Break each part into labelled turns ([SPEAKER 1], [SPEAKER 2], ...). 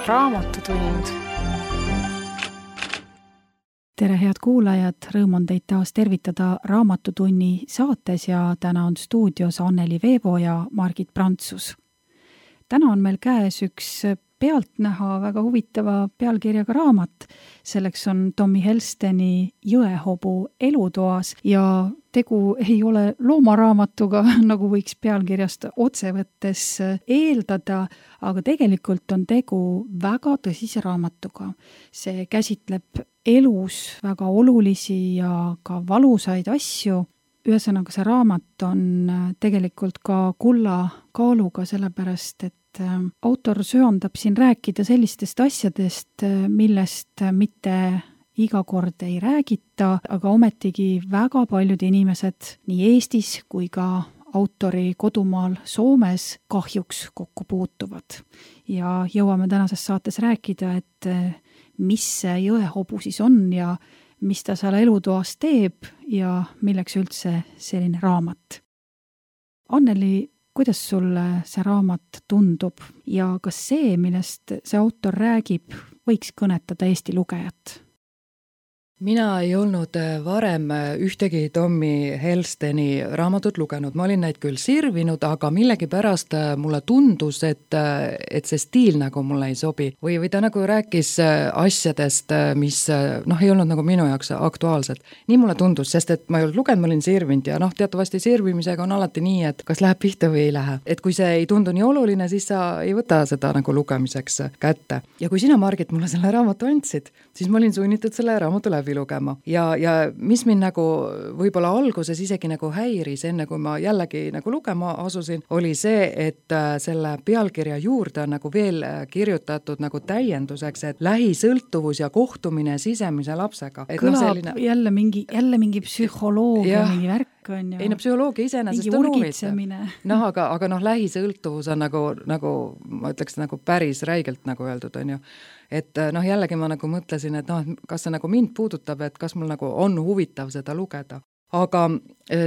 [SPEAKER 1] Raamatutund.
[SPEAKER 2] Tere, head kuulajad! Rõõm on teid taas tervitada Raamatutunni saates ja täna on stuudios Anneli Veebo ja Margit Prantsus. Täna on meil käes üks pealtnäha väga huvitava pealkirjaga raamat. Selleks on Tommy Helsteni Jõehobu elutoas ja tegu ei ole loomaraamatuga, nagu võiks pealkirjast otse võttes eeldada, aga tegelikult on tegu väga tõsise raamatuga. See käsitleb elus väga olulisi ja ka valusaid asju. Ühesõnaga, see raamat on tegelikult ka kulla kaaluga, sellepärast, et autor söandab siin rääkida sellistest asjadest, millest mitte iga kord ei räägita, aga ometigi väga paljud inimesed nii Eestis kui ka autori kodumaal Soomes kahjuks kokku puutuvad. Ja jõuame tänases saates rääkida, et mis see jõehobu siis on ja mis ta seal elutoas teeb ja milleks üldse selline raamat. Anneli, kuidas sulle see raamat tundub ja kas see, millest see autor räägib, võiks kõnetada Eesti lugejat?
[SPEAKER 3] Mina ei olnud varem ühtegi Tommy Helsteni raamatut lugenud. Ma olin neid küll sirvinud, aga millegipärast mulle tundus, et see stiil nagu mulle ei sobi. Või ta nagu rääkis asjadest, mis ei olnud nagu minu jaoks aktuaalsed. Nii mulle tundus, sest et ma ei olnud lugenud, ma olin sirvinud ja teatavasti sirvimisega on alati nii, et kas läheb pihta või ei lähe. Et kui see ei tundu nii oluline, siis sa ei võta seda nagu lugemiseks kätte. Ja kui sina, Margit, mulle selle raamatu andsid, siis ma olin sunnitud selle raamatu läbi lugema. Ja mis mind nagu võib-olla alguses isegi nagu häiris, enne kui ma jällegi nagu lugema asusin, oli see, et selle pealkirja juurde on nagu veel kirjutatud nagu täienduseks, et lähisõltuvus ja kohtumine sisemise lapsega. Et
[SPEAKER 2] kõlab selline... jälle mingi psühholoogia, mingi värk on ju.
[SPEAKER 3] Ei, psühholoogia iseenesest on huvitav. Aga lähisõltuvus on nagu ma ütleks nagu päris räigelt nagu öeldud on ju. Et jällegi ma nagu mõtlesin, et kas see nagu mind puudutab, et kas mul nagu on huvitav seda lugeda. Aga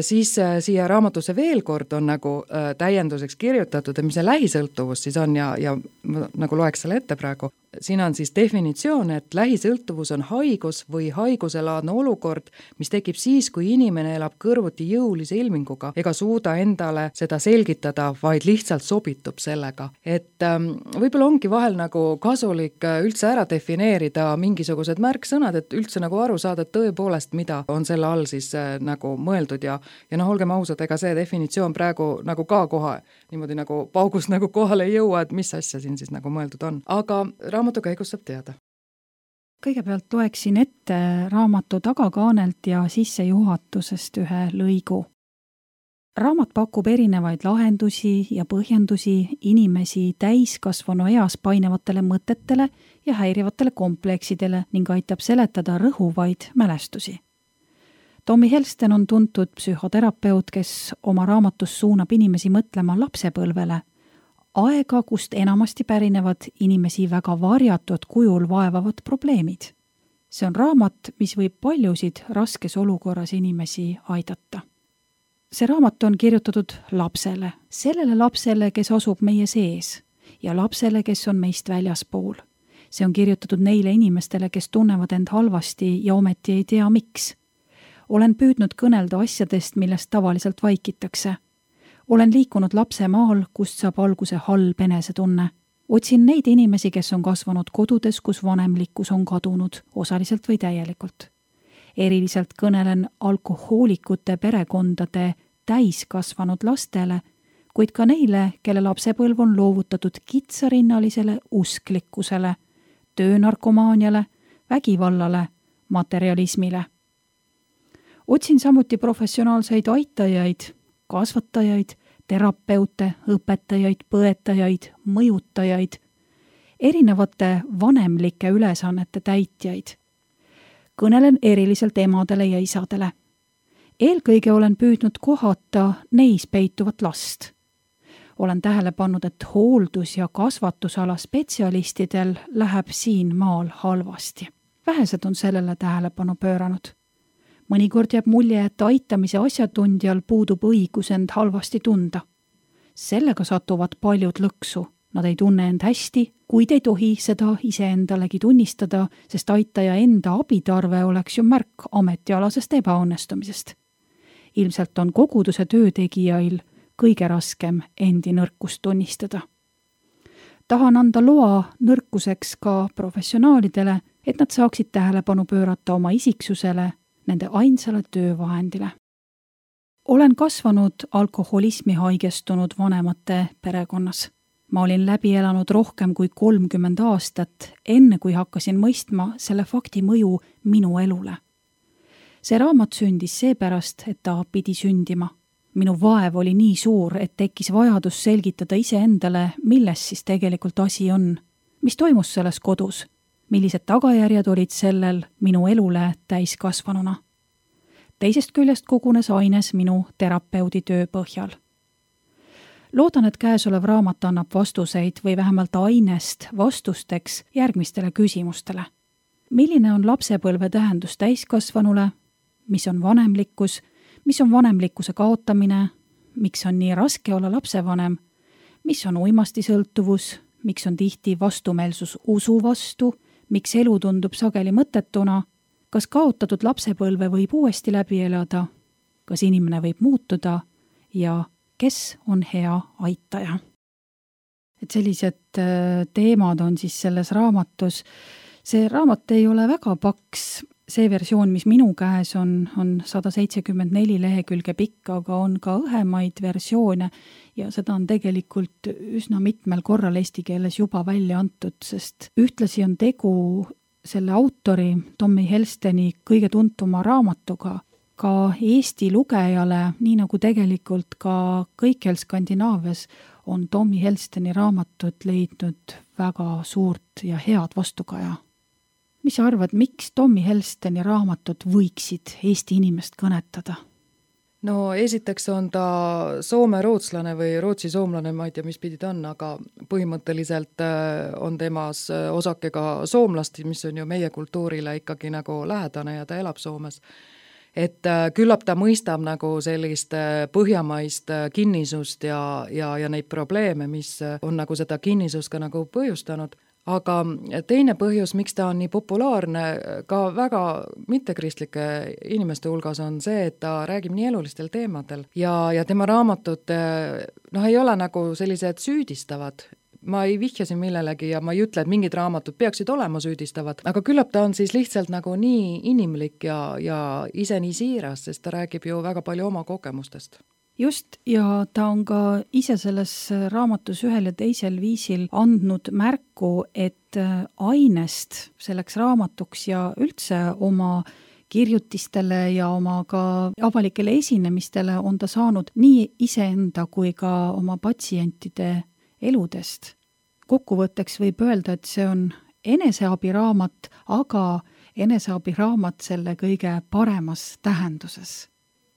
[SPEAKER 3] siis siia raamatusse veel kord on nagu täienduseks kirjutatud, et mis see lähisõltuvus siis on ja ma nagu loeks selle ette praegu. Siin on siis definitsioon, et lähisõltuvus on haigus või haiguselaadne olukord, mis tekib siis, kui inimene elab kõrvuti jõulise ilminguga ega suuda endale seda selgitada, vaid lihtsalt sobitub sellega. Et võib-olla ongi vahel nagu kasulik üldse ära defineerida mingisugused märksõnad, et üldse nagu aru saada, et tõepoolest, mida on selle all siis nagu mõeldud ja olgem ausad, ega see definitsioon praegu nagu ka kohe niimoodi nagu paugust nagu kohale ei jõua, et mis asja siin siis nagu mõeldud on. Aga raamatu käigus saab teada.
[SPEAKER 2] Kõigepealt loeksin ette raamatu tagakaanelt ja sissejuhatusest ühe lõigu. Raamat pakub erinevaid lahendusi ja põhjendusi inimesi täiskasvanu eas painevatele mõtetele ja häirivatele kompleksidele ning aitab seletada rõhuvaid mälestusi. Tommy Helsten on tuntud psühhoterapeut, kes oma raamatus suunab inimesi mõtlema lapsepõlvele, aega, kust enamasti pärinevad inimesi väga varjatud kujul vaevavad probleemid. See on raamat, mis võib paljusid raskes olukorras inimesi aidata. See raamat on kirjutatud lapsele, sellele lapsele, kes asub meie sees ja lapsele, kes on meist väljaspool. See on kirjutatud neile inimestele, kes tunnevad end halvasti ja ometi ei tea miks. Olen püüdnud kõnelda asjadest, millest tavaliselt vaikitakse. Olen liikunud lapsemaal, kust saab alguse halb enesetunne. Otsin neid inimesi, kes on kasvanud kodudes, kus vanemlikkus on kadunud, osaliselt või täielikult. Eriliselt kõnelen alkohoolikute perekondade täiskasvanud lastele, kuid ka neile, kelle lapsepõlv on loovutatud kitsarinnalisele usklikkusele, töönarkomaaniale, vägivallale, materialismile. Otsin samuti professionaalseid aitajaid, kasvatajaid, terapeute, õpetajaid, põetajaid, mõjutajaid, erinevate vanemlike ülesannete täitjaid. Kõnelen eriliselt emadele ja isadele. Eelkõige olen püüdnud kohata neis peituvat last. Olen tähele pannud, et hooldus- ja kasvatusala spetsialistidel läheb siin maal halvasti. Vähesed on sellele tähelepanu pööranud. Mõnikord jääb mulje, et aitamise asjatundjal puudub õigus end halvasti tunda. Sellega satuvad paljud lõksu, Nad ei tunne end hästi, kuid ei tohi seda iseendalegi tunnistada, sest aitaja enda abitarve oleks ju märk ametialasest ebaõnnestumisest. Ilmselt on koguduse töötegijail kõige raskem endi nõrkust tunnistada. Tahan anda loa nõrkuseks ka professionaalidele, et nad saaksid tähelepanu pöörata oma isiksusele, nende ainsale töövahendile. Olen kasvanud alkoholismi haigestunud vanemate perekonnas. Ma olin läbi elanud rohkem kui 30 aastat, enne kui hakkasin mõistma selle fakti mõju minu elule. See raamat sündis seepärast, et ta pidi sündima. Minu vaev oli nii suur, et tekkis vajadus selgitada iseendale, milles siis tegelikult asi on. Mis toimus selles kodus? Millised tagajärjed olid sellel minu elule täiskasvanuna? Teisest küljest kogunes aines minu terapeudi töö põhjal. Loodan, et käesolev raamat annab vastuseid või vähemalt ainest vastusteks järgmistele küsimustele. Milline on lapsepõlve tähendus täiskasvanule? Mis on vanemlikkus? Mis on vanemlikkuse kaotamine? Miks on nii raske olla lapsevanem? Mis on uimastisõltuvus? Miks on tihti vastumeelsus usu vastu? Miks elu tundub sageli mõttetuna? Kas kaotatud lapsepõlve võib uuesti läbi elada? Kas inimene võib muutuda? Ja kes on hea aitaja? Et sellised teemad on siis selles raamatus. See raamat ei ole väga paks. See versioon, mis minu käes on 174 lehekülge pikk, aga on ka õhemaid versioone ja seda on tegelikult üsna mitmel korral eesti keeles juba välja antud, sest ühtlasi on tegu selle autori Tommy Helsteni kõige tuntuma raamatuga ka Eesti lugejale, nii nagu tegelikult ka kõikjal Skandinaavias on Tommy Helsteni raamatud leidnud väga suurt ja head vastukaja. Mis sa arvad, miks Tommy Helsteni raamatud võiksid Eesti inimest kõnetada?
[SPEAKER 3] No esiteks on ta soome-rootslane või rootsi-soomlane, ma ei tea, mis pidi ta on, aga põhimõtteliselt on temas osake ka soomlasti, mis on ju meie kultuurile ikkagi nagu lähedane ja ta elab Soomes. Et küllap ta mõistab nagu sellist põhjamaist kinnisust ja neid probleeme, mis on nagu seda kinnisust ka nagu põhjustanud. Aga teine põhjus, miks ta on nii populaarne ka väga mittekristlike inimeste hulgas on see, et ta räägib nii elulistel teemadel ja tema raamatud ei ole nagu sellised süüdistavad. Ma ei vihjasin millelegi ja ma ei ütle, et mingid raamatud peaksid olema süüdistavad, aga küllap ta on siis lihtsalt nagu nii inimlik ja ise nii siiras, sest ta räägib ju väga palju oma kogemustest.
[SPEAKER 2] Just, ja ta on ka ise selles raamatus ühel ja teisel viisil andnud märku, et ainest selleks raamatuks ja üldse oma kirjutistele ja oma ka avalikele esinemistele on ta saanud nii iseenda kui ka oma patsientide eludest. Kokkuvõtteks võib öelda, et see on eneseabiraamat, aga eneseabiraamat selle kõige paremas tähenduses.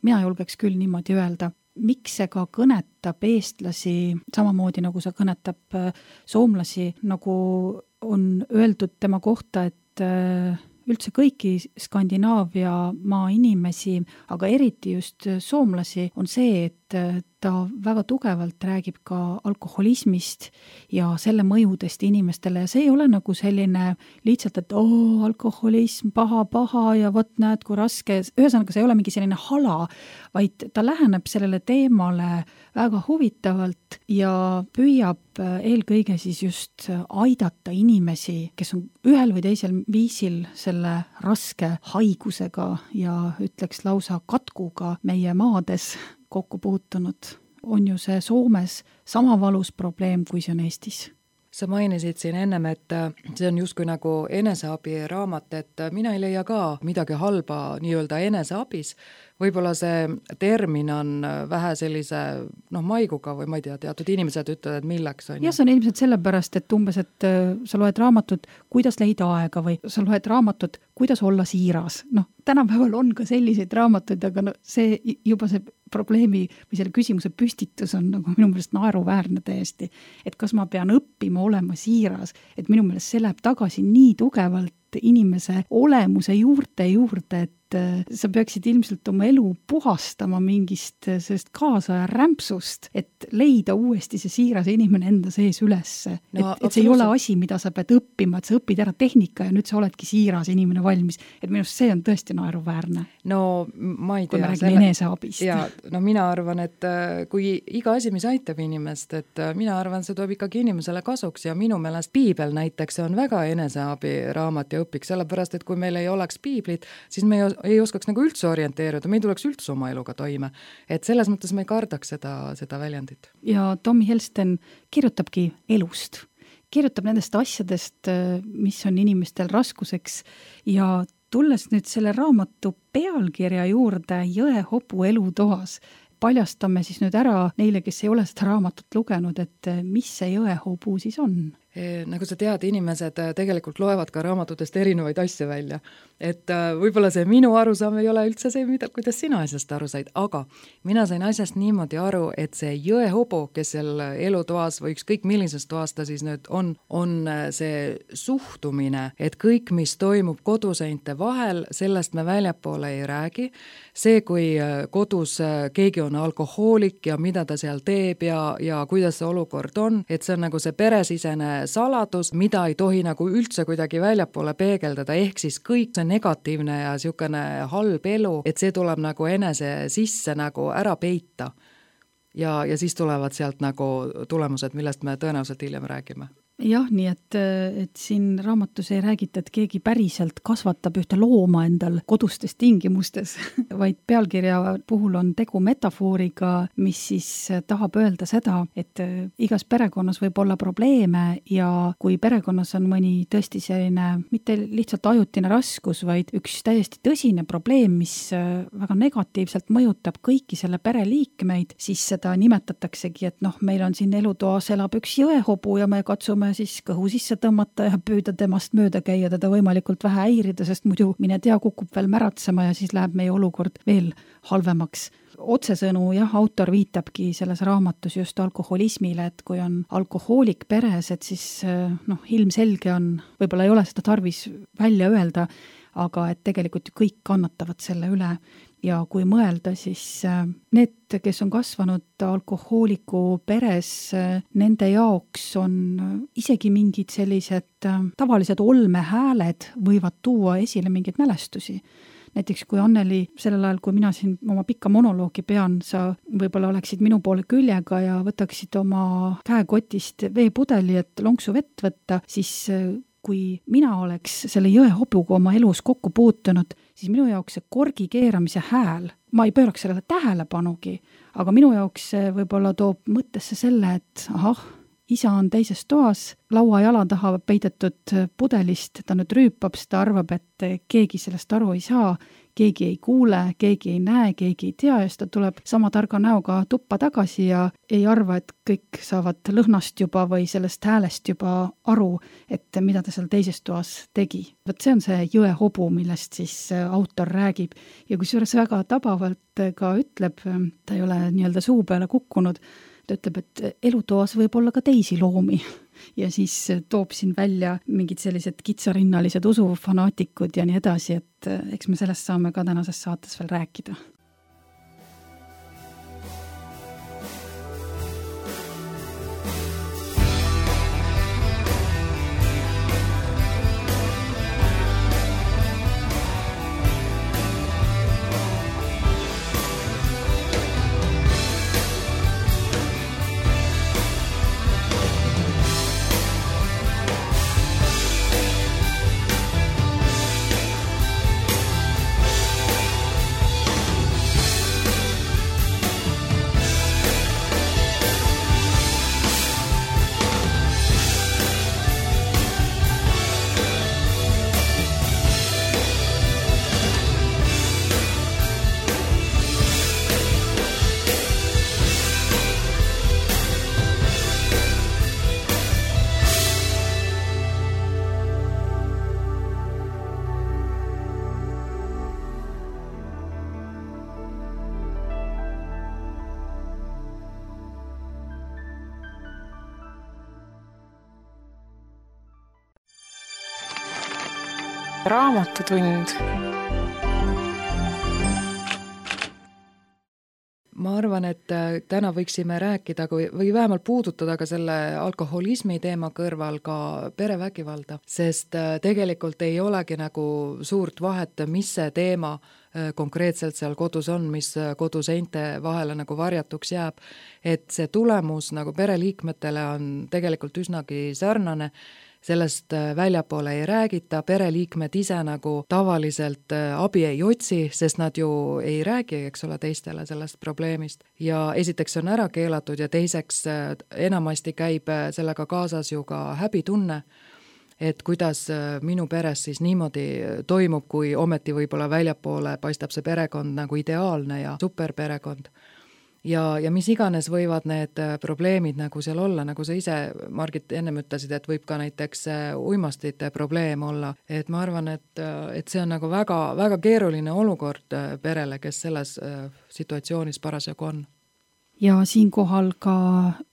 [SPEAKER 2] Mina julgeks küll niimoodi öelda. Miks see ka kõnetab eestlasi samamoodi, nagu see kõnetab soomlasi, nagu on öeldud tema kohta, et üldse kõiki Skandinaavia maa inimesi, aga eriti just soomlasi, on see, et ta väga tugevalt räägib ka alkoholismist ja selle mõjudest inimestele ja see ei ole nagu selline lihtsalt, et alkoholism, paha ja võt näed, kui raske, ühesõnaga see ei ole mingi selline hala, vaid ta läheneb sellele teemale väga huvitavalt ja püüab eelkõige siis just aidata inimesi, kes on ühel või teisel viisil selle raske haigusega ja ütleks lausa katkuga meie maades kokku puutunud. On ju see Soomes sama valus probleem, kui see on Eestis.
[SPEAKER 3] Sa mainisid siin ennem, et see on justkui nagu eneseabiraamat, et mina ei leia ka midagi halba nii-öelda eneseabis. Võib-olla see termin on vähe sellise maiguga või ma ei tea, teatud inimesed ütlevad, et milleks on.
[SPEAKER 2] Ja see on ilmselt sellepärast, et umbes, et sa loed raamatut, kuidas leida aega või sa loed raamatut, kuidas olla siiras. Tänapäeval on ka selliseid raamatuid, aga see juba see probleemi või selle küsimuse püstitus on nagu minu meelest naeruväärne täiesti. Et kas ma pean õppima olema siiras, et minu meelest see läheb tagasi nii tugevalt inimese olemuse juurde, sa peaksid ilmselt oma elu puhastama mingist sellest kaasaja rämpsust, et leida uuesti see siiras inimene enda sees ülesse. No, et see ei ole asi, mida sa pead õppima, et sa õpid ära tehnika ja nüüd sa oledki siiras inimene valmis. Et minust see on tõesti naeruväärne.
[SPEAKER 3] No ma ei tea.
[SPEAKER 2] Kui me räägime eneseabist.
[SPEAKER 3] Ja, no mina arvan, et kui iga asi, mis aitab inimest, et mina arvan, see tuleb ikkagi inimesele kasuks ja minu meelest piibel näiteks on väga eneseabi raamat ja õpik, sellepärast, et kui meil ei oleks piiblit, siis me ei oskaks nagu üldse orienteeruda, me ei tuleks üldse oma eluga toime. Et selles mõttes me ei kardaks seda väljendit.
[SPEAKER 2] Ja Tommy Helsten kirjutabki elust. Kirjutab nendest asjadest, mis on inimestel raskuseks ja tulles nüüd selle raamatu pealkirja juurde Jõehobu elutoas, paljastame siis nüüd ära neile, kes ei ole seda raamatut lugenud, et mis see Jõehobu siis on?
[SPEAKER 3] Nagu sa tead, inimesed tegelikult loevad ka raamatutest erinevaid asju välja. Et võib-olla see minu arusaam ei ole üldse see, kuidas sina asjast aru said, aga mina sain asjast niimoodi aru, et see Jõehobu, kes seal elutoas või ükskõik millises toas ta siis nüüd on see suhtumine, et kõik, mis toimub koduseinte vahel, sellest me väljapoole ei räägi. See, kui kodus keegi on alkohoolik ja mida ta seal teeb ja kuidas see olukord on, et see on nagu see peresisene saladus, mida ei tohi nagu üldse kuidagi väljapoole peegeldada, ehk siis kõik see negatiivne ja niisugune halb elu, et see tuleb nagu enese sisse nagu ära peita. Ja siis tulevad sealt nagu tulemused, millest me tõenäoliselt hiljem räägime.
[SPEAKER 2] Jah, nii et siin raamatus ei räägita, et keegi päriselt kasvatab ühte looma endal kodustes tingimustes, vaid pealkirja puhul on tegu metafooriga, mis siis tahab öelda seda, et igas perekonnas võib olla probleeme ja kui perekonnas on mõni tõesti selline mitte lihtsalt ajutine raskus, vaid üks täiesti tõsine probleem, mis väga negatiivselt mõjutab kõiki selle pereliikmeid, siis seda nimetataksegi, et meil on siin elutoas elab üks jõehobu ja me katsume siis kõhu sisse tõmmata ja püüda temast mööda käia, teda võimalikult vähe häirida, sest muidu mine tea, kukub veel märatsema ja siis läheb meie olukord veel halvemaks. Otsesõnu, autor viitabki selles raamatus just alkoholismile, et kui on alkohoolik peres, et siis ilmselge on, võib-olla ei ole seda tarvis välja öelda, aga et tegelikult kõik kannatavad selle üle. Ja kui mõelda, siis need, kes on kasvanud alkohooliku peres, nende jaoks on isegi mingid sellised tavalised olmehääled võivad tuua esile mingeid mälestusi. Näiteks kui Anneli, sellel ajal, kui mina siin oma pikka monoloogi pean, sa võib-olla oleksid minu poole küljega ja võtaksid oma käekotist veepudeli, et lonksu vett võtta, siis kui mina oleks selle jõehobuga oma elus kokku puutunud, siis minu jaoks see korgi keeramise hääl, ma ei pööraks sellele tähelepanugi, aga minu jaoks see võib-olla toob mõttesse selle, et isa on teises toas, laua jala taha peidetud pudelist, ta nüüd rüüpab, ta arvab, et keegi sellest aru ei saa, keegi ei kuule, keegi ei näe, keegi ei tea ja siis ta tuleb sama targa näoga tuppa tagasi ja ei arva, et kõik saavad lõhnast juba või sellest häälest juba aru, et mida ta seal teises toas tegi. Võt see on see jõehobu, millest siis autor räägib ja kusjuures väga tabavalt ka ütleb, ta ei ole nii-öelda suu peale kukkunud, ta ütleb, et elutoas võib olla ka teisi loomi ja siis toob siin välja mingid sellised kitsarinnalised usufanaatikud ja nii edasi, et eks me sellest saame ka tänases saates veel rääkida.
[SPEAKER 1] Raamatutund.
[SPEAKER 3] ma arvan, et täna võiksime rääkida või vähemalt puudutada ka selle alkoholismi teema kõrval ka perevägivalda, sest tegelikult ei olegi nagu suurt vahet, mis see teema konkreetselt seal kodus on, mis koduseinte vahele nagu varjatuks jääb, et see tulemus nagu pereliikmetele on tegelikult üsnagi sarnane, sellest väljapoole ei räägita, pereliikmed ise nagu tavaliselt abi ei otsi, sest nad ju ei räägi, eks ole, teistele sellest probleemist. Ja esiteks on ära keelatud ja teiseks enamasti käib sellega kaasas ju ka häbitunne, et kuidas minu peres siis niimoodi toimub, kui ometi võib-olla väljapoole paistab see perekond nagu ideaalne ja superperekond. Ja mis iganes võivad need probleemid nagu seal olla, nagu sa ise, Margit, ennem ütlesid, et võib ka näiteks uimastite probleem olla, et ma arvan, et see on nagu väga, väga keeruline olukord perele, kes selles situatsioonis parasjagu on.
[SPEAKER 2] Ja siinkohal ka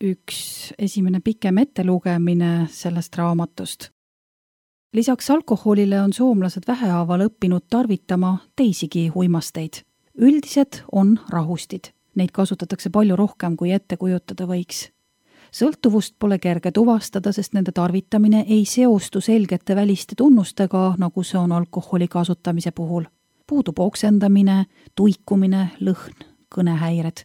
[SPEAKER 2] üks esimene pikem ettelugemine sellest raamatust. Lisaks alkoholile on soomlased vähehaaval õppinud tarvitama teisigi uimasteid. Üldised on rahustid. Neid kasutatakse palju rohkem, kui ette kujutada võiks. Sõltuvust pole kerge tuvastada, sest nende tarvitamine ei seostu selgete väliste tunnustega, nagu see on alkoholi kasutamise puhul. Puudub oksendamine, tuikumine, lõhn, kõnehäired.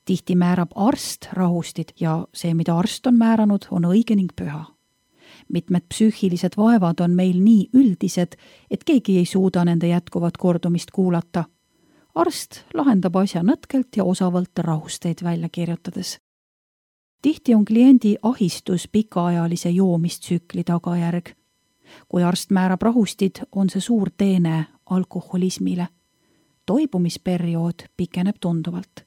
[SPEAKER 2] Tihti määrab arst rahustid ja see, mida arst on määranud, on õige ning püha. Mitmed psüühilised vaevad on meil nii üldised, et keegi ei suuda nende jätkuvat kordumist kuulata. Arst lahendab asja nõtkelt ja osavalt rahusteid välja kirjutades. Tihti on kliendi ahistus pikaajalise joomistsükli tagajärg. Kui arst määrab rahustid, on see suur teene alkoholismile. Toibumisperiood pikeneb tunduvalt.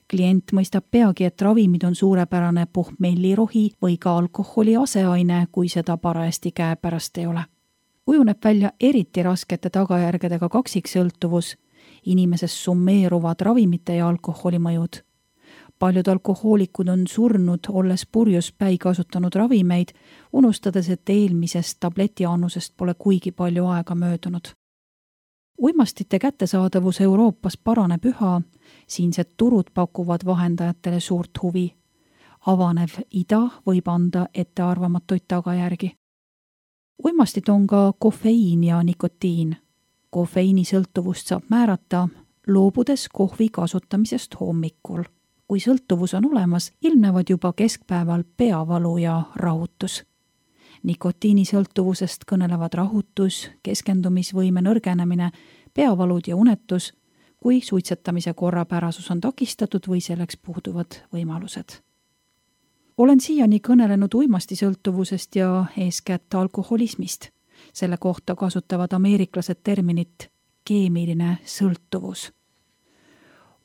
[SPEAKER 2] Klient mõistab peagi, et ravimid on suurepärane pohmellirohi või ka alkoholi aseaine, kui seda parajasti käepärast ei ole. Kujuneb välja eriti raskete tagajärgedega kaksiksõltuvus, inimeses summeeruvad ravimite ja alkoholi mõjud. Paljud alkohoolikud on surnud, olles purjuspäi kasutanud ravimeid, unustades, et eelmisest tabletiannusest pole kuigi palju aega möödunud. Uimastite kättesaadavus Euroopas paraneb üha, siinsed turud pakuvad vahendajatele suurt huvi. Avanev ida võib anda ettearvamatuid tagajärgi. Uimastid on ka kofeiin ja nikotiin. Kofeiini sõltuvust saab määrata, loobudes kohvi kasutamisest hommikul. Kui sõltuvus on olemas, ilmnevad juba keskpäeval peavalu ja rahutus. Nikotiini sõltuvusest kõnelevad rahutus, keskendumisvõime nõrgenemine, peavalud ja unetus, kui suitsetamise korrapärasus on takistatud või selleks puuduvad võimalused. Olen siiani kõnelenud uimastisõltuvusest ja eeskätt alkoholismist. Selle kohta kasutavad ameeriklased terminit keemiline sõltuvus.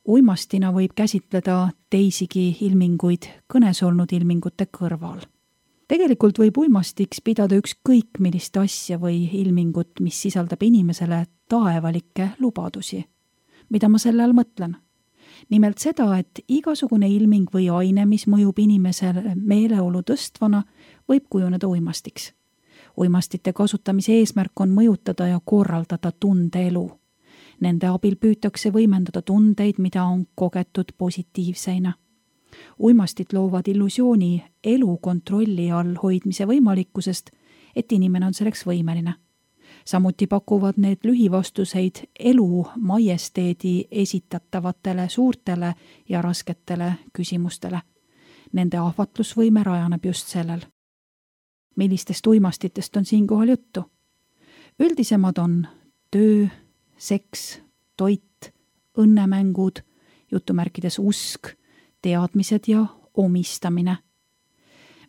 [SPEAKER 2] Uimastina võib käsitleda teisigi ilminguid kõnes olnud ilmingute kõrval. Tegelikult võib uimastiks pidada ükskõik millist asja või ilmingut, mis sisaldab inimesele taevalikke lubadusi. Mida ma selle all mõtlen? Nimelt seda, et igasugune ilming või aine, mis mõjub inimesele meeleolu tõstvana, võib kujuneda uimastiks. Uimastite kasutamise eesmärk on mõjutada ja korraldada tundeelu. Nende abil püütakse võimendada tundeid, mida on kogetud positiivseina. Uimastid loovad illusiooni elu kontrolli all hoidmise võimalikkusest, et inimene on selleks võimeline. Samuti pakuvad need lühivastuseid elu majesteedi esitatavatele suurtele ja rasketele küsimustele. Nende ahvatlusvõime rajaneb just sellel. Millistest uimastitest on siinkohal juttu? Üldisemad on töö, seks, toit, õnnemängud, jutumärkides usk, teadmised ja omistamine.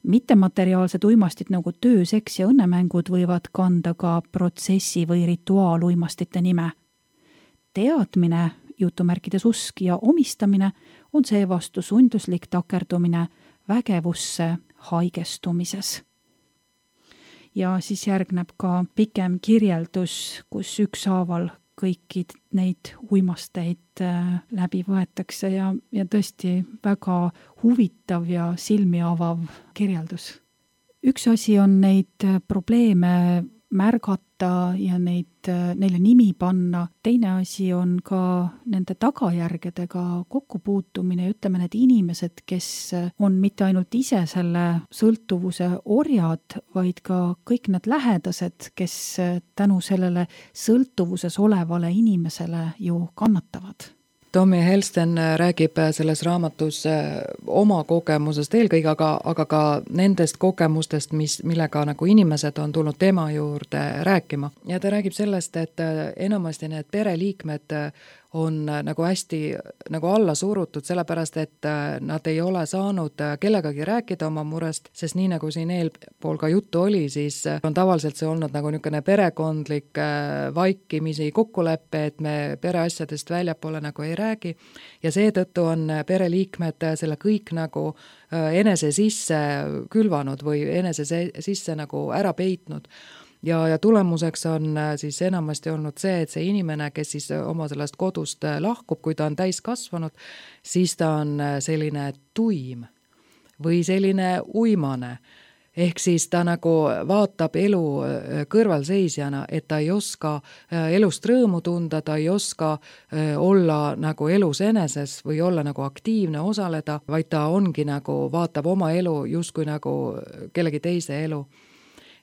[SPEAKER 2] Mittemateriaalsed uimastid nagu töö, seks ja õnnemängud võivad kanda ka protsessi või rituaaluimastite nime. Teadmine, jutumärkides usk ja omistamine on seevastu sunduslik takerdumine vägevusse haigestumises. Ja siis järgneb ka pikem kirjeldus, kus ükshaaval kõiki neid uimasteid läbi võetakse ja tõesti väga huvitav ja silmi avav kirjeldus. Üks asi on neid probleeme märgata ja neile nimi panna. Teine asi on ka nende tagajärgedega kokkupuutumine ja ütleme, need inimesed, kes on mitte ainult ise selle sõltuvuse orjad, vaid ka kõik need lähedased, kes tänu sellele sõltuvuses olevale inimesele ju kannatavad.
[SPEAKER 3] Tommy Helsten räägib selles raamatus oma kogemusest eelkõige, aga ka nendest kogemustest, millega nagu inimesed on tulnud tema juurde rääkima. Ja ta räägib sellest, et enamasti need pereliikmed on nagu hästi nagu alla surutud, sellepärast et nad ei ole saanud kellegagi rääkida oma murest, sest nii nagu siin eelpool ka juttu oli, siis on tavaliselt see olnud nagu niisugune perekondlik vaikimisi kokkulepe, et me pereasjadest väljapoole nagu ei räägi ja seetõttu on pereliikmed selle kõik nagu enese sisse külvanud või enese sisse nagu ära peitnud. Ja tulemuseks on siis enamasti olnud see, et see inimene, kes siis oma sellest kodust lahkub, kui ta on täis kasvanud, siis ta on selline tuim või selline uimane. Ehk siis ta nagu vaatab elu kõrvalseisjana, et ta ei oska elust rõõmu tunda, ta ei oska olla nagu elus eneses või olla nagu aktiivne, osaleda, vaid ta ongi nagu, vaatab oma elu justkui nagu kellegi teise elu.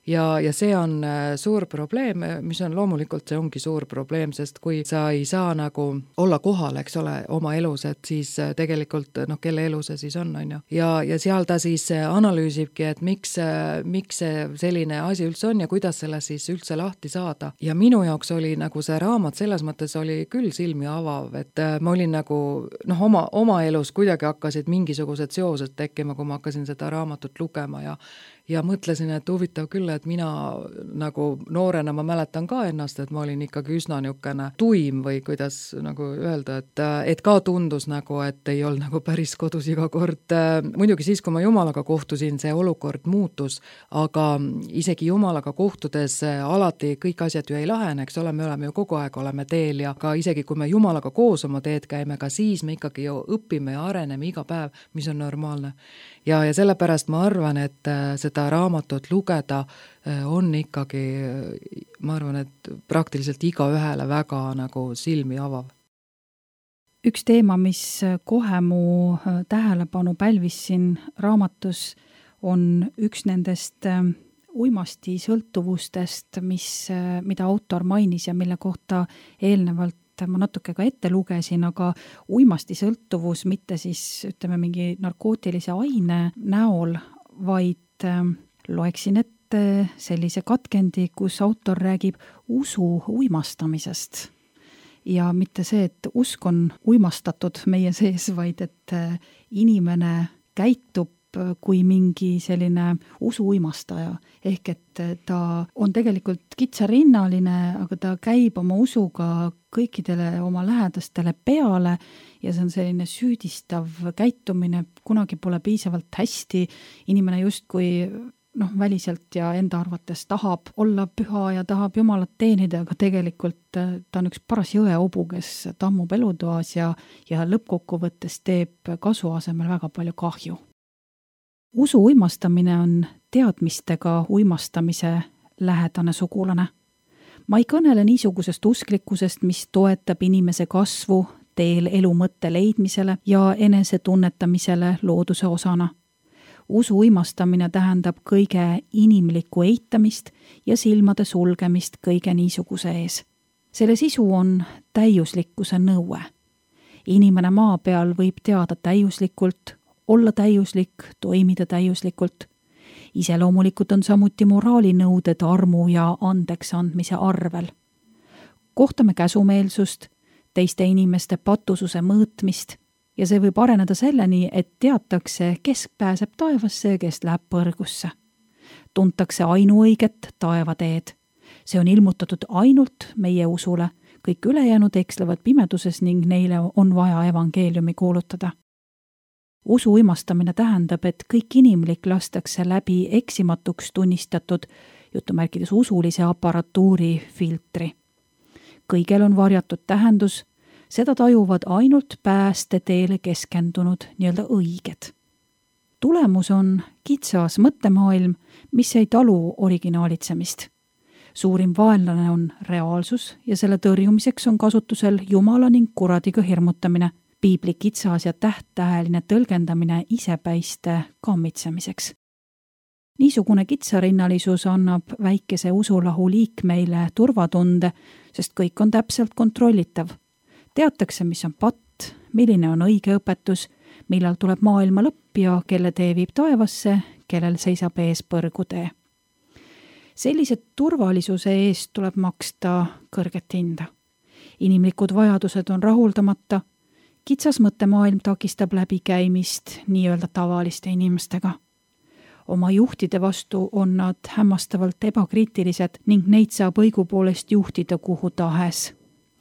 [SPEAKER 3] Ja see on suur probleem, mis on loomulikult, see ongi suur probleem, sest kui sa ei saa nagu olla kohal, eks ole, oma elus, et siis tegelikult, kelle elu see siis on ju. Ja seal ta siis analüüsibki, et miks see selline asi üldse on ja kuidas selle siis üldse lahti saada. Ja minu jaoks oli nagu see raamat selles mõttes oli küll silmi avav, et ma olin nagu, oma elus kuidagi hakkasid mingisugused seosed tekkima, kui ma hakkasin seda raamatut lugema ja mõtlesin, et huvitav küll, et mina nagu noorena ma mäletan ka ennast, et ma olin ikkagi üsna niisugune tuim või kuidas nagu öelda, et ka tundus nagu, et ei olnud nagu päris kodus iga kord. Muidugi siis, kui ma Jumalaga kohtusin, see olukord muutus, aga isegi Jumalaga kohtudes alati kõik asjad ju ei lahene, eks ole, me oleme ju kogu aeg oleme teel ja ka isegi kui me Jumalaga koos oma teed käime, ka siis me ikkagi ju õpime ja areneme iga päev, mis on normaalne. Ja sellepärast ma arvan, et seda raamatut lugeda on ikkagi, ma arvan, et praktiliselt igaühele väga nagu silmi avav.
[SPEAKER 2] Üks teema, mis kohe mu tähelepanu pälvis siin raamatus, on üks nendest uimasti sõltuvustest, mida autor mainis ja mille kohta eelnevalt ma natuke ka ette lugesin, aga uimasti sõltuvus mitte siis ütleme mingi narkootilise aine näol, vaid loeksin ette sellise katkendi, kus autor räägib usu uimastamisest. Ja mitte see, et usk on uimastatud meie sees, vaid et inimene käitub kui mingi selline usuuimastaja. Ehk et ta on tegelikult kitsarinnaline, aga ta käib oma usuga kõikidele oma lähedastele peale ja see on selline süüdistav käitumine, kunagi pole piisavalt hästi, inimene justkui väliselt ja enda arvates tahab olla püha ja tahab Jumalat teenida, aga tegelikult ta on üks paras jõeobu, kes tammub elutoas ja lõppkokkuvõttes teeb kasu asemel väga palju kahju. Usu uimastamine on teadmistega uimastamise lähedane sugulane. Ma ei kõnele niisugusest usklikkusest, mis toetab inimese kasvu teel elu mõtte leidmisele ja enese tunnetamisele looduse osana. Usu uimastamine tähendab kõige inimlikku eitamist ja silmade sulgemist kõige niisuguse ees. Selle sisu on täiuslikkuse nõue. Inimene maa peal võib teada täiuslikult, olla täiuslik, toimida täiuslikult. Iseloomulikult on samuti moraalinõuded armu ja andeks andmise arvel. Kohtame käsumeelsust, teiste inimeste patususe mõõtmist ja see võib areneda selleni, et teatakse, kes pääseb taevasse ja kes läheb põrgusse. Tuntakse ainuõiget taevateed. See on ilmutatud ainult meie usule. Kõik ülejäänud ekslevad pimeduses ning neile on vaja evangeeliumi kuulutada. Usu uimastamine tähendab, et kõik inimlik lastakse läbi eksimatuks tunnistatud jutumärkides usulise aparatuuri filtri. Kõigel on varjatud tähendus, seda tajuvad ainult pääste teele keskendunud nii-öelda õiged. Tulemus on kitsas mõttemaailm, mis ei talu originaalitsemist. suurim vaenlane on reaalsus ja selle tõrjumiseks on kasutusel jumala ning kuradiga hirmutamine, piibli kitsas ja tähtäheline tõlgendamine isepäiste kammitsemiseks. Niisugune kitsarinnalisus annab väikese usulahu liikmeile turvatunde, sest kõik on täpselt kontrollitav. Teatakse, mis on patt, milline on õige õpetus, millal tuleb maailma lõpp ja kelle tee viib taevasse, kellel seisab ees põrgutee. Sellise turvalisuse eest tuleb maksta kõrget hinda. Inimlikud vajadused on rahuldamata, kitsas mõttemaailm takistab läbikäimist nii-öelda tavaliste inimestega. Oma juhtide vastu on nad hämmastavalt ebakriitilised ning neid saab õigupoolest juhtida kuhu tahes.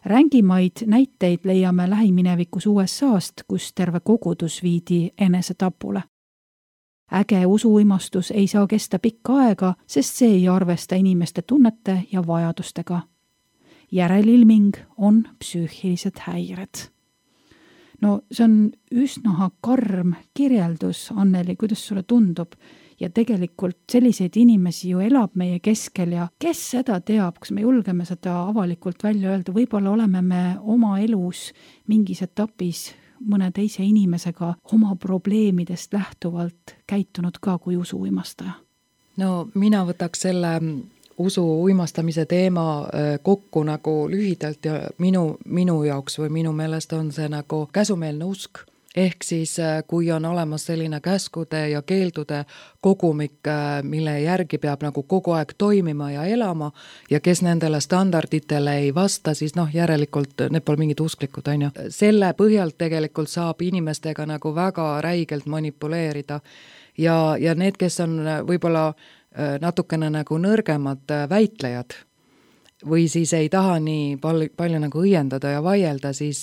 [SPEAKER 2] Rängimaid näiteid leiame lähiminevikus USA-st, kus terve kogudus viidi enesetapule. Äge usuimastus ei saa kesta pikka aega, sest see ei arvesta inimeste tunnete ja vajadustega. Järelilming on psüühilised häired. No see on üsna karm kirjeldus, Anneli, kuidas sulle tundub? Ja tegelikult selliseid inimesi ju elab meie keskel ja kes seda teab, kas me julgeme seda avalikult välja öelda, võib-olla oleme me oma elus mingis etapis mõne teise inimesega oma probleemidest lähtuvalt käitunud ka kui usuuimastaja?
[SPEAKER 3] No mina võtaks selle usuuimastamise teema kokku nagu lühidalt ja minu jaoks või minu meelest on see nagu käsumeelne usk. Ehk siis, kui on olemas selline käskude ja keeldude kogumik, mille järgi peab nagu kogu aeg toimima ja elama ja kes nendele standarditele ei vasta, siis järelikult need pole mingid usklikud, on ju. Selle põhjalt tegelikult saab inimestega nagu väga räigelt manipuleerida ja need, kes on võib-olla natukene nagu nõrgemad väitlejad, või siis ei taha nii palju nagu õiendada ja vaielda, siis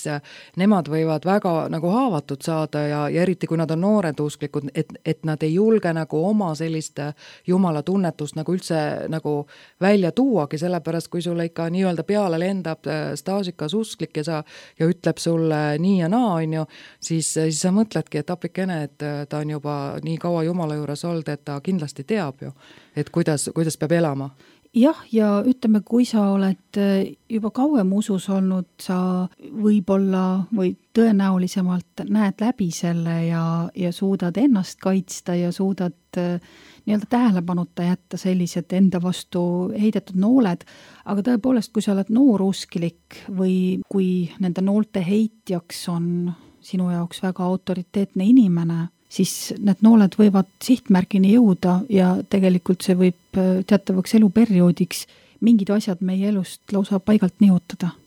[SPEAKER 3] nemad võivad väga nagu haavatud saada ja eriti kui nad on noored usklikud, et nad ei julge nagu oma sellist jumala tunnetust nagu üldse nagu välja tuuagi, sellepärast kui sulle ikka nii-öelda peale lendab staažikas usklik ja ütleb sulle nii ja naa, on ju, siis sa mõtledki, et apikene, et ta on juba nii kaua jumala juures olnud, et ta kindlasti teab ju, et kuidas peab elama.
[SPEAKER 2] Jah, ja ütleme, kui sa oled juba kauem usus olnud, sa võib-olla või tõenäolisemalt näed läbi selle ja suudad ennast kaitsta ja suudad nii-öelda tähelepanuta jätta sellised enda vastu heidetud nooled, aga tõepoolest, kui sa oled noorusklik või kui nende noolte heitjaks on sinu jaoks väga autoriteetne inimene, siis need nooled võivad sihtmärgini jõuda ja tegelikult see võib teatavaks eluperioodiks mingid asjad meie elust lausa paigalt nihutada.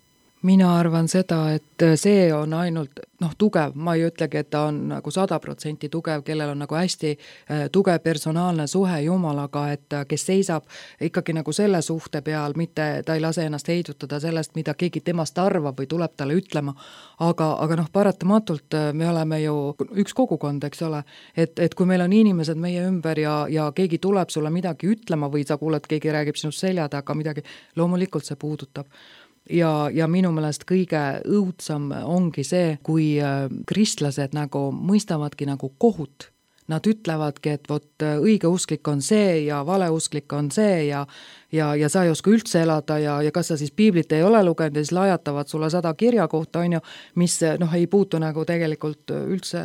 [SPEAKER 3] Mina arvan seda, et see on ainult tugev, ma ei ütlegi, et ta on nagu 100% tugev, kellel on nagu hästi tugev personaalne suhe Jumalaga, et kes seisab ikkagi nagu selle suhte peal, mitte ta ei lase ennast heidutada sellest, mida keegi temast arvab või tuleb talle ütlema, aga paratamatult me oleme ju üks kogukond, eks ole, et kui meil on inimesed meie ümber ja keegi tuleb sulle midagi ütlema või sa kuuled, keegi räägib sinust selja taga midagi, loomulikult see puudutab. Ja minu meelest kõige õudsam ongi see, kui kristlased nagu mõistavadki nagu kohut. Nad ütlevadki, et vot õige usklik on see ja valeusklik on see ja sa ei oska üldse elada ja kas sa siis piiblit ei ole lugenud ja siis lajatavad sulle 100 kirja kohta, on ju, mis ei puutu nagu tegelikult üldse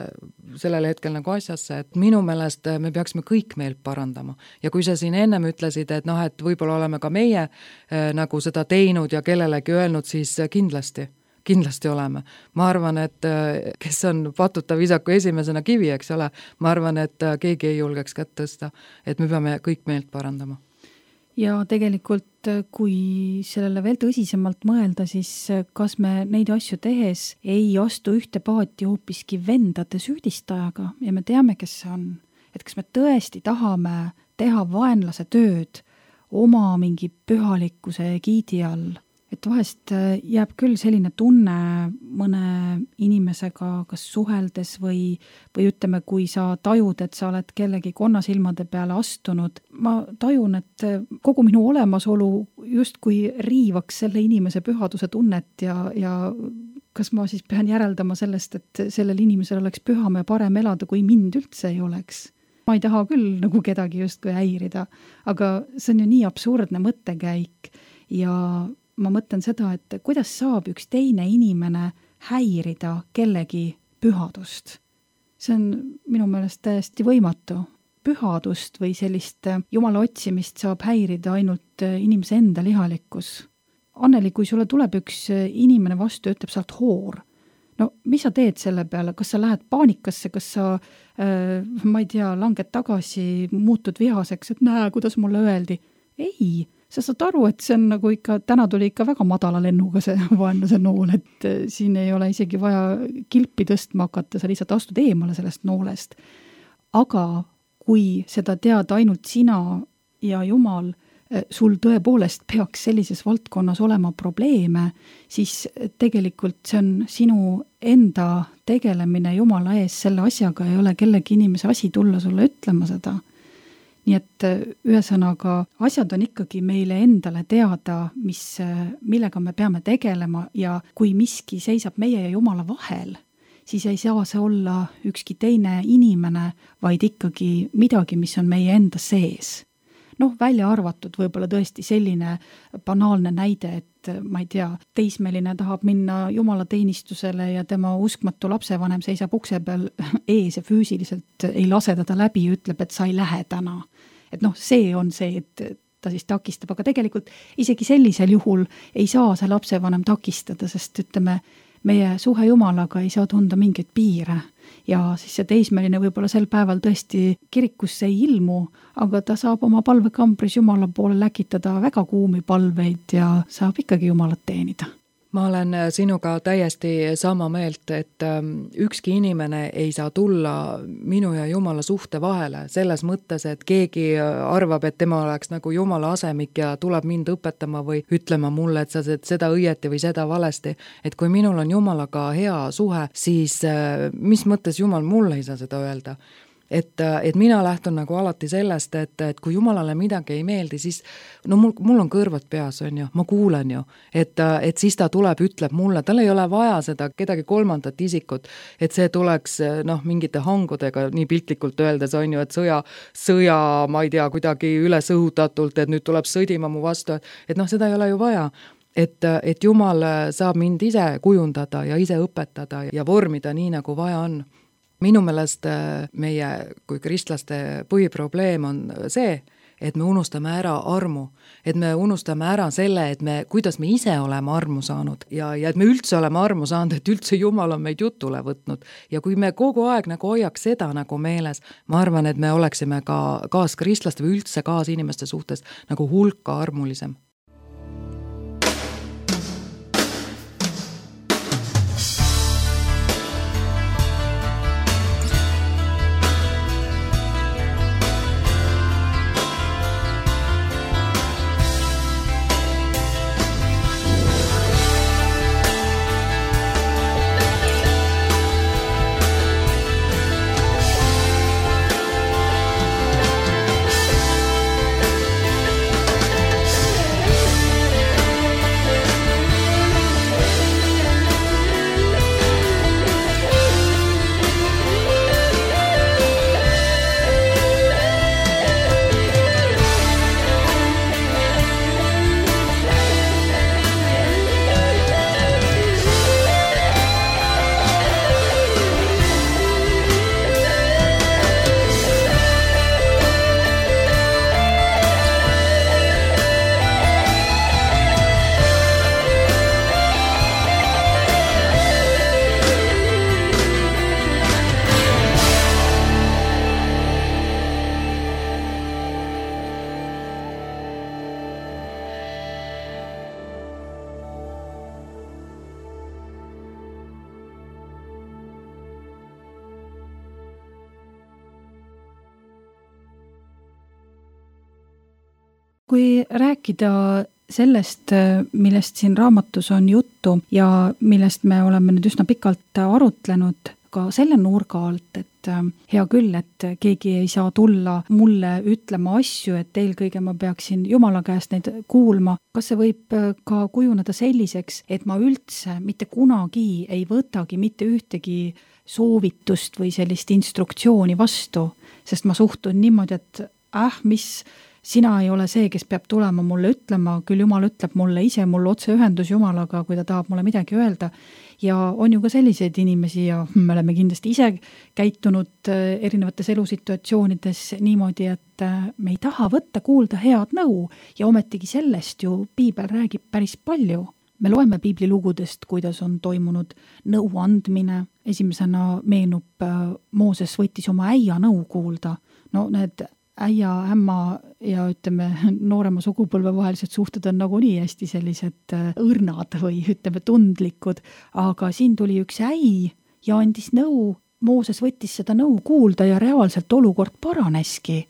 [SPEAKER 3] sellel hetkel nagu asjasse, et minu meelest me peaksime kõik meelt parandama. Ja kui sa siin ennem ütlesid, et et võib-olla oleme ka meie nagu seda teinud ja kellelegi öelnud, siis kindlasti oleme. Ma arvan, et kes on patuta visaku esimesena kivi, eks ole, ma arvan, et keegi ei julgeks kätt tõsta, et me peame kõik meelt parandama.
[SPEAKER 2] Ja tegelikult, kui sellele veel tõsisemalt mõelda, siis kas me neid asju tehes ei astu ühte paati hoopiski vendade süüdistajaga ja me teame, kes see on. Et kas me tõesti tahame teha vaenlase tööd oma mingi pühalikkuse giidi all. Et vahest jääb küll selline tunne mõne inimesega kas suheldes või ütleme, kui sa tajud, et sa oled kellegi konnasilmade peale astunud. Ma tajun, et kogu minu olemasolu justkui riivaks selle inimese pühaduse tunnet ja kas ma siis pean järeldama sellest, et sellel inimesel oleks püham ja parem elada, kui mind üldse ei oleks. ma ei taha küll nagu kedagi justkui häirida, aga see on ju nii absurdne mõttekäik ja ma mõtlen seda, et kuidas saab üks teine inimene häirida kellegi pühadust. See on minu meelest täiesti võimatu. Pühadust või sellist Jumala otsimist saab häirida ainult inimese enda lihalikkus. Anneli, kui sulle tuleb üks inimene vastu ja ütleb sealt hoor, no mis sa teed selle peale? Kas sa lähed paanikasse, kas sa, ma ei tea, langed tagasi, muutud vihaseks, et näe, kuidas mulle öeldi? Ei, sa saad aru, et see on nagu ikka, täna tuli ikka väga madala lennuga see vaenlase nool, et siin ei ole isegi vaja kilpi tõstma hakata, sa lihtsalt astud eemale sellest noolest. Aga kui seda tead ainult sina ja Jumal, sul tõepoolest peaks sellises valdkonnas olema probleeme, siis tegelikult see on sinu enda tegelemine Jumala ees selle asjaga, ei ole kellegi inimese asi tulla sulle ütlema seda. Nii et ühesõnaga, asjad on ikkagi meile endale teada, millega me peame tegelema ja kui miski seisab meie ja Jumala vahel, siis ei saa see olla ükski teine inimene, vaid ikkagi midagi, mis on meie enda sees. Noh, välja arvatud võib-olla tõesti selline banaalne näide, et ma ei tea, teismeline tahab minna Jumala teenistusele ja tema uskmatu lapsevanem seisab ukse peal ees ja füüsiliselt ei lase teda läbi ja ütleb, et sa ei lähe täna. Et noh, see on see, et ta siis takistab, aga tegelikult isegi sellisel juhul ei saa see lapsevanem takistada, sest ütleme, meie suhe Jumalaga ei saa tunda mingeid piire ja siis see teismeline võib-olla sel päeval tõesti kirikusse ei ilmu, aga ta saab oma palvekambris Jumala poole läkitada väga kuumi palveid ja saab ikkagi Jumalat teenida.
[SPEAKER 3] Ma olen sinuga täiesti sama meelt, et ükski inimene ei saa tulla minu ja Jumala suhte vahele selles mõttes, et keegi arvab, et tema oleks nagu Jumala asemik ja tuleb mind õpetama või ütlema mulle, et sa teed seda õieti või seda valesti. Et kui minul on Jumalaga hea suhe, siis mis mõttes Jumal mulle ei saa seda öelda? Et mina lähtun nagu alati sellest, et kui Jumalale midagi ei meeldi, siis no mul on kõrvad peas, on ju, ma kuulen ju, et siis ta tuleb, ütleb mulle, tal ei ole vaja seda kedagi kolmandat isikut, et see tuleks mingite hangudega nii piltlikult öeldes, on ju, et sõja, ma ei tea, kuidagi ülesõhutatult, et nüüd tuleb sõdima mu vastu, et seda ei ole ju vaja. Et Jumal saab mind ise kujundada ja ise õpetada ja vormida nii, nagu vaja on. Minu meelest meie kui kristlaste põhiprobleem on see, et me unustame ära armu, et me unustame ära selle, et kuidas me ise oleme armu saanud ja et me üldse oleme armu saanud, et üldse Jumal on meid jutule võtnud. Ja kui me kogu aeg nagu hoiaks seda nagu meeles, ma arvan, et me oleksime ka kaaskristlaste või üldse kaasinimeste suhtes nagu hulka armulisem.
[SPEAKER 2] Kui rääkida sellest, millest siin raamatus on juttu ja millest me oleme nüüd üsna pikalt arutlenud, ka selle nurga alt, et hea küll, et keegi ei saa tulla mulle ütlema asju, et eelkõige ma peaksin Jumala käest neid kuulma. Kas see võib ka kujuneda selliseks, et ma üldse mitte kunagi ei võtagi mitte ühtegi soovitust või sellist instruktsiooni vastu, sest ma suhtun niimoodi, et mis sina ei ole see, kes peab tulema mulle ütlema, küll Jumal ütleb mulle ise, mul otseühendus Jumalaga, kui ta tahab mulle midagi öelda. Ja on ju ka selliseid inimesi ja me oleme kindlasti ise käitunud erinevates elusituatsioonides niimoodi, et me ei taha võtta kuulda head nõu ja ometigi sellest ju Piibel räägib päris palju. Me loeme piiblilugudest, kuidas on toimunud nõu andmine. Esimesena meenub Mooses võttis oma äia nõu kuulda. No need äia, ämma ja ütleme noorema sugupõlve vahelised suhted on nagunii hästi sellised õrnad või ütleme tundlikud, aga siin tuli üks äi ja andis nõu, Mooses võttis seda nõu kuulda ja reaalselt olukord paraneski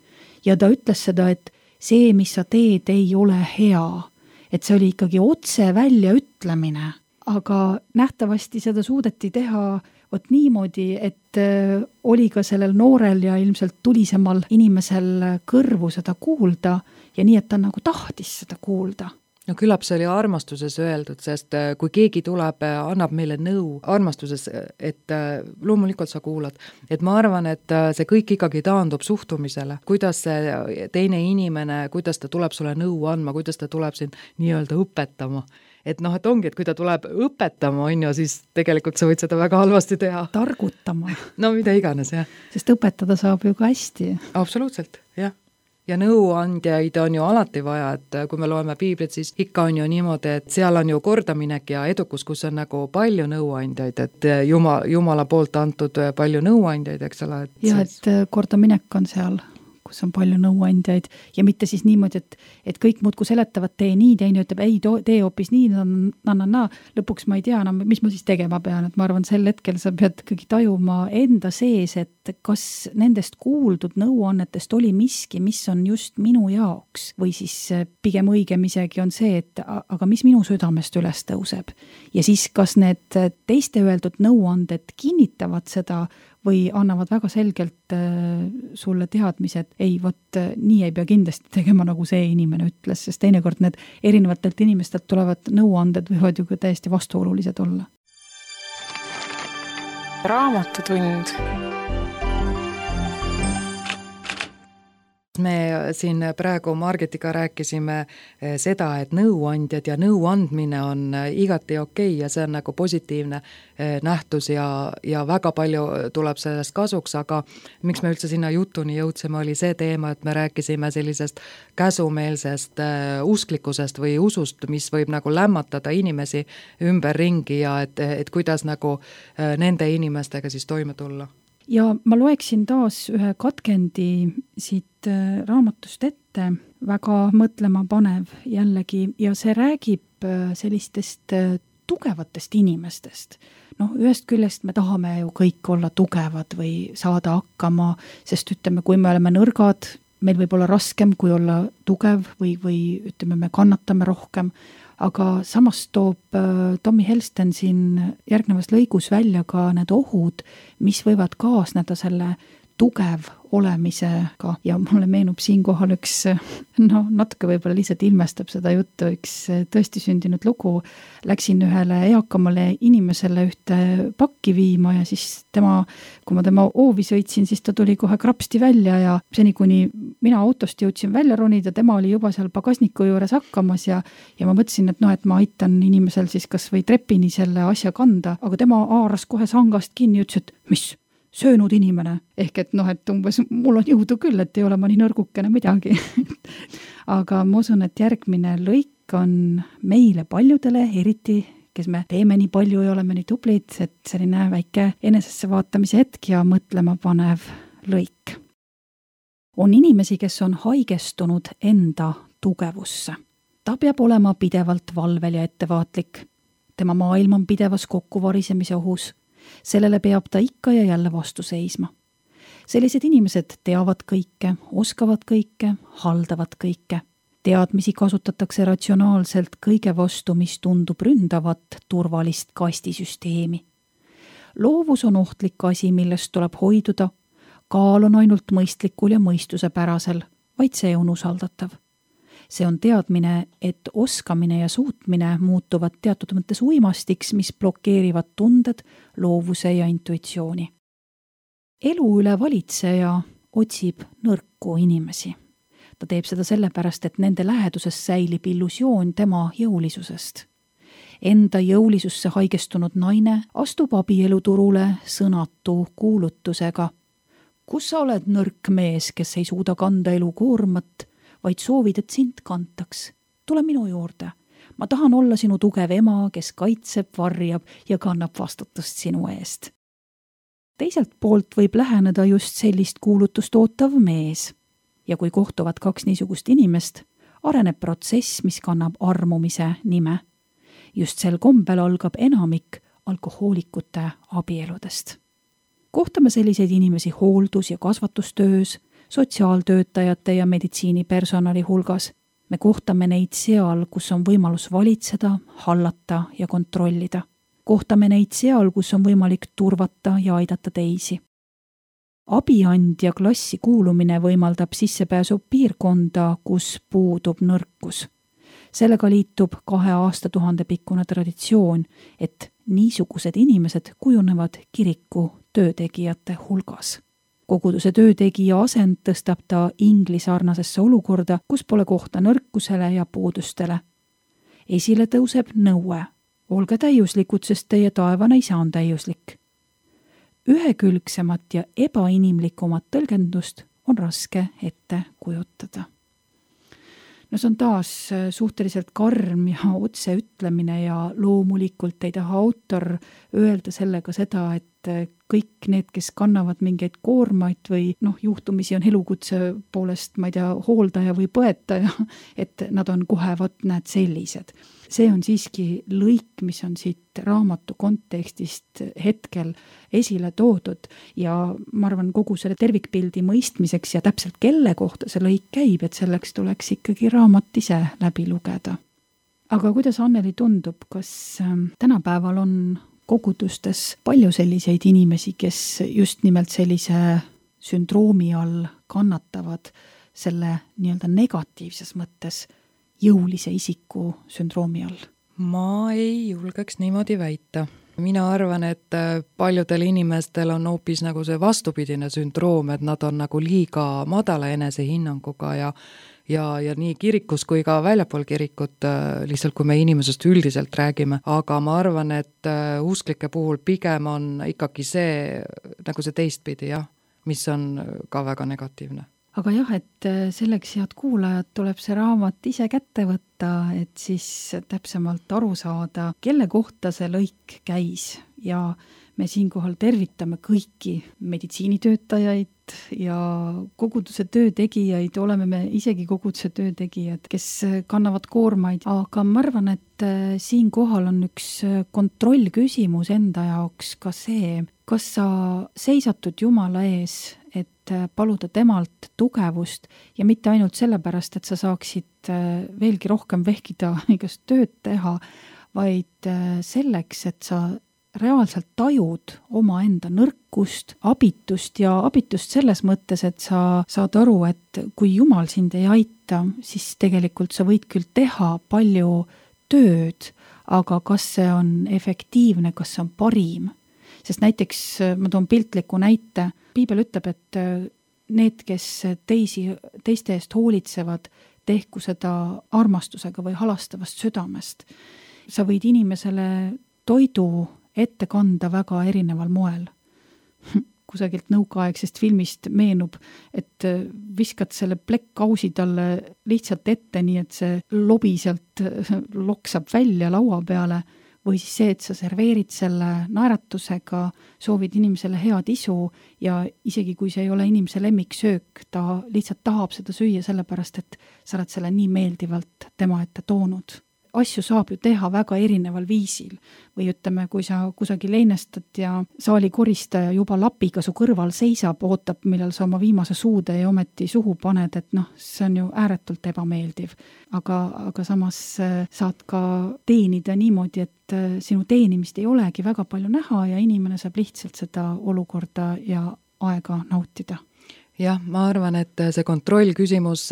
[SPEAKER 2] ja ta ütles seda, et see, mis sa teed, ei ole hea, et see oli ikkagi otse välja ütlemine, aga nähtavasti seda suudeti teha vot niimoodi, et oli ka sellel noorel ja ilmselt tulisemal inimesel kõrvu seda kuulda ja nii, et ta nagu tahtis seda kuulda.
[SPEAKER 3] No küllap see oli armastuses öeldud, sest kui keegi tuleb, annab meile nõu armastuses, et loomulikult sa kuulad. Et ma arvan, et see kõik ikkagi taandub suhtumisele. Kuidas see teine inimene, kuidas ta tuleb sulle nõu andma, kuidas ta tuleb sind nii-öelda õpetama. Et et ongi, et kui ta tuleb õpetama, siis tegelikult sa võid seda väga halvasti teha.
[SPEAKER 2] Targutama.
[SPEAKER 3] No mida iganes, jah.
[SPEAKER 2] Sest õpetada saab ju ka hästi.
[SPEAKER 3] Absoluutselt, jah. Ja nõuandjaid on ju alati vaja, et kui me loeme Piiblit, siis ikka on ju niimoodi, et seal on ju kordaminek ja edukus, kus on nagu palju nõuandjaid, et Jumala poolt antud palju nõuandjaid, eks ole.
[SPEAKER 2] Ja, et kordaminek on seal, kus on palju nõuandjaid ja mitte siis niimoodi, et kõik muudku seletavad, tee nii, teine ütleb, ei, tee hoopis nii, lõpuks ma ei tea enam, mis ma siis tegema pean, et ma arvan, sel hetkel sa pead ikkagi tajuma enda sees, et kas nendest kuuldud nõuannetest oli miski, mis on just minu jaoks või siis pigem õigem isegi on see, et aga mis minu südamest üles tõuseb ja siis kas need teiste öeldud nõuanded kinnitavad seda või annavad väga selgelt sulle teadmised, ei, vot nii ei pea kindlasti tegema, nagu see inimene ütles, sest teinekord need erinevatelt inimestelt tulevad nõuanded võivad ju ka täiesti vastuolulised olla.
[SPEAKER 1] Raamatutund.
[SPEAKER 3] Me siin praegu Margetiga rääkisime seda, et nõuandjad ja nõuandmine on igati okei ja see on nagu positiivne nähtus ja väga palju tuleb sellest kasuks, aga miks me üldse sinna jutuni jõudsime, oli see teema, et me rääkisime sellisest käsumeelsest usklikkusest või usust, mis võib nagu lämmatada inimesi ümberringi ja et kuidas nagu nende inimestega siis toime tulla.
[SPEAKER 2] Ja ma loeksin taas ühe katkendi siit raamatust ette, väga mõtlema panev jällegi ja see räägib sellistest tugevatest inimestest. Ühest küljest me tahame ju kõik olla tugevad või saada hakkama, sest ütleme, kui me oleme nõrgad, meil võib olla raskem kui olla tugev või ütleme, me kannatame rohkem, aga samas toob Tommy Helston siin järgnevas lõigus välja ka need ohud, mis võivad kaasneda selle tugev olemisega ja mulle meenub siinkohal üks, natuke võib-olla lihtsalt ilmestab seda juttu, üks tõesti sündinud lugu. Läksin ühele eakamale inimesele ühte pakki viima ja siis kui ma tema hoovi sõitsin, siis ta tuli kohe krapsti välja ja seni, kuni mina autost jõudsin välja ronida, tema oli juba seal pagasniku juures hakkamas ja ma mõtlesin, et ma aitan inimesel siis kas või trepini selle asja kanda, aga tema haaras kohe sangast kinni ja ütles, et mis? Söönud inimene, ehk et umbes mul on jõudu küll, et ei ole ma nii nõrgukene midagi. Aga ma usun, et järgmine lõik on meile paljudele, eriti kes me teeme nii palju ja oleme nii tublid, et selline väike enesesse vaatamise hetk ja mõtlema panev lõik. On inimesi, kes on haigestunud enda tugevusse. Ta peab olema pidevalt valvel ja ettevaatlik. Tema maailm on pidevas kokkuvarisemise ohus. Sellele peab ta ikka ja jälle vastu seisma. Sellised inimesed teavad kõike, oskavad kõike, haldavad kõike. Teadmisi kasutatakse ratsionaalselt kõige vastu, mis tundub ründavat turvalist kastisüsteemi. loovus on ohtlik asi, millest tuleb hoiduda, kaal on ainult mõistlikul ja mõistusepärasel, vaid see on usaldatav. See on teadmine, et oskamine ja suutmine muutuvad teatud mõttes uimastiks, mis blokeerivad tunded, loovuse ja intuitsiooni. Elu üle valitseja otsib nõrku inimesi. Ta teeb seda sellepärast, et nende läheduses säilib illusioon tema jõulisusest. Enda jõulisusse haigestunud naine astub abieluturule sõnatu kuulutusega. Kus sa oled nõrk mees, kes ei suuda kanda elu koormat, vaid soovid, et sind kantaks? Tule minu juurde. Ma tahan olla sinu tugev ema, kes kaitseb, varjab ja kannab vastutust sinu eest. Teiselt poolt võib läheneda just sellist kuulutust ootav mees. Ja kui kohtuvad kaks niisugust inimest, areneb protsess, mis kannab armumise nime. Just sel kombel algab enamik alkohoolikute abieludest. Kohtame selliseid inimesi hooldus- ja kasvatustöös, sotsiaaltöötajate ja meditsiinipersonali hulgas. Me kohtame neid seal, kus on võimalus valitseda, hallata ja kontrollida. Kohtame neid seal, kus on võimalik turvata ja aidata teisi. Abiandja klassi kuulumine võimaldab sissepääsu piirkonda, kus puudub nõrkus. Sellega liitub 2 aastatuhande pikkune traditsioon, et niisugused inimesed kujunevad kiriku töötegijate hulgas. Koguduse töötegija asend tõstab ta ingli sarnasesse olukorda, kus pole kohta nõrkusele ja puudustele. Esile tõuseb nõue. Olge täiuslikud, sest teie taevane isa on täiuslik. Ühekülgsemat ja ebainimlikumat tõlgendust on raske ette kujutada. No see on taas suhteliselt karm ja otse ütlemine ja loomulikult ei taha autor öelda sellega seda, et kõik need, kes kannavad mingeid koormaid või juhtumisi on elukutse poolest, ma ei tea, hooldaja või põetaja, et nad on kohe, näed, sellised. See on siiski lõik, mis on siit raamatu kontekstist hetkel esile toodud ja ma arvan, kogu selle tervikpildi mõistmiseks ja täpselt kelle kohta see lõik käib, et selleks tuleks ikkagi raamat ise läbi lugeda. Aga kuidas Anneli tundub, kas tänapäeval on kogudustes palju selliseid inimesi, kes just nimelt sellise sündroomi all kannatavad selle nii-öelda negatiivses mõttes jõulise isiku sündroomi all?
[SPEAKER 3] Ma ei julgeks niimoodi väita. Mina arvan, et paljudel inimestel on hoopis nagu see vastupidine sündroom, et nad on nagu liiga madala enesehinnanguga ja nii kirikus kui ka väljapool kirikut, lihtsalt kui me inimesest üldiselt räägime, aga ma arvan, et usklike puhul pigem on ikkagi see, nagu see teistpidi, jah, mis on ka väga negatiivne.
[SPEAKER 2] Aga jah, et selleks, head kuulajad, tuleb see raamat ise kätte võtta, et siis täpsemalt aru saada, kelle kohta see lõik käis ja me siinkohal tervitame kõiki meditsiinitöötajaid ja koguduse töötegijaid, oleme me isegi koguduse töötegijad, kes kannavad koormaid, aga ma arvan, et siinkohal on üks kontrollküsimus enda jaoks ka see, kas sa seisatud Jumala ees, et paluda temalt tugevust ja mitte ainult sellepärast, et sa saaksid veelgi rohkem vehkida igast tööd teha, vaid selleks, et sa reaalselt tajud omaenda nõrkust, abitust ja abitust selles mõttes, et sa saad aru, et kui Jumal sind ei aita, siis tegelikult sa võid küll teha palju tööd, aga kas see on efektiivne, kas see on parim? Sest näiteks ma toon piltliku näite, Piibel ütleb, et need, kes teiste eest hoolitsevad, tehku seda armastusega või halastavast südamest. Sa võid inimesele toidu ette kanda väga erineval moel. Kusagilt nõukaaegsest filmist meenub, et viskad selle plekkkausi talle lihtsalt ette, nii et see lobi sealt loksab välja laua peale, või siis see, et sa serveerid selle naeratusega, soovid inimesele head isu ja isegi kui see ei ole inimese lemmiksöök, ta lihtsalt tahab seda süüa sellepärast, et sa oled selle nii meeldivalt tema ette toonud. asju saab ju teha väga erineval viisil. Või ütleme, kui sa kusagil leinestad ja saalikoristaja juba lapiga su kõrval seisab, ootab, millal sa oma viimase suude ja ometi suhu paned, et see on ju ääretult ebameeldiv. Aga samas saad ka teenida niimoodi, et sinu teenimist ei olegi väga palju näha ja inimene saab lihtsalt seda olukorda ja aega nautida.
[SPEAKER 3] Jah, ma arvan, et see kontrollküsimus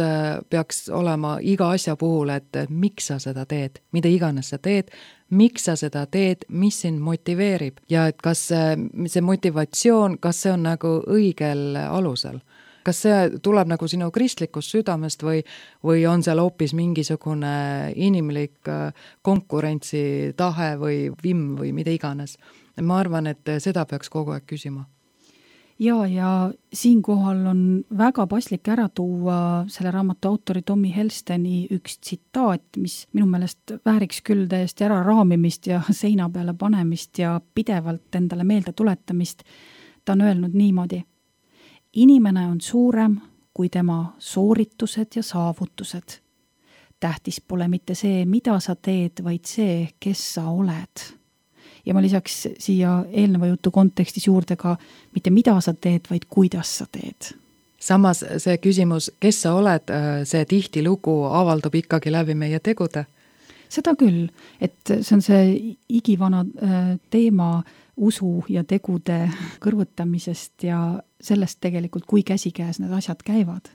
[SPEAKER 3] peaks olema iga asja puhul, et miks sa seda teed, mida iganes sa teed, miks sa seda teed, mis sind motiveerib ja et kas see motivatsioon, kas see on nagu õigel alusel. Kas see tuleb nagu sinu kristlikust südamest või on seal hoopis mingisugune inimlik konkurentsitahe või vimm või mida iganes. Ma arvan, et seda peaks kogu aeg küsima.
[SPEAKER 2] Ja siinkohal on väga paslik ära tuua selle raamatu autori Tommy Helsteni üks tsitaat, mis minu meelest vääriks küll täiesti ära raamimist ja seina peale panemist ja pidevalt endale meelde tuletamist. Ta on öelnud niimoodi: inimene on suurem kui tema sooritused ja saavutused. Tähtis pole mitte see, mida sa teed, vaid see, kes sa oled. Ja ma lisaks siia eelneva jutu kontekstis juurde ka mitte mida sa teed, vaid kuidas sa teed.
[SPEAKER 3] Samas see küsimus, kes sa oled, see tihti lugu avaldub ikkagi läbi meie tegude.
[SPEAKER 2] Seda küll, et see on see igivana teema usu ja tegude kõrvutamisest ja sellest tegelikult, kui käsikäes need asjad käivad.